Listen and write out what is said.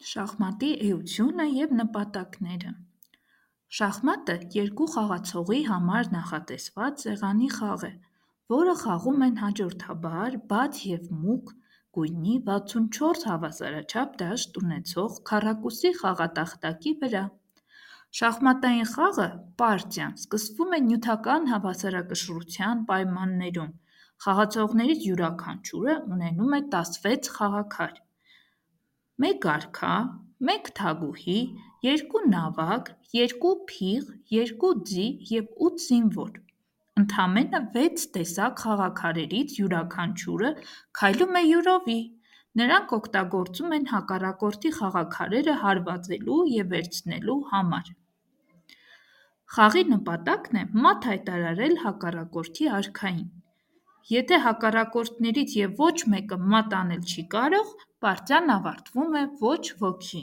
Շախմատի էությունը և նպատակները։ Շախմատը երկու խաղացողի համար նախատեսված սեղանի խաղ է, որը խաղում են հաջորդաբար բաց և մուգ գույնի 64 հավասարաչափ դաշտ ունեցող քառակուսի խաղատախտակի վրա։ Շախմատային խաղը (պարտիան) սկսվում է նյութական հավասարակշռության պայմաններում։ Խաղացողներից յուրաքանչյուրը ունենում է 16 խաղաքար՝ 1 արքա, 1 թագուհի, 2 նավակ, 2 փիղ, 2 ձի և 8 զինվոր։ Ընդամենը 6 տեսակ խաղաքարերից յուրաքանչյուրը քայլում է յուրովի։ Նրանք օգտագործում են հակառակորդի խաղաքարերը հարվածելու և վերցնելու համար։ Խաղի նպատակն է մատ հայտարարել հակառակորդի արքային։ Եթե հակառակորդներից և ոչ մեկը մատ անել չի կարող, պարտիան ավարտվում է ոչ ոքի։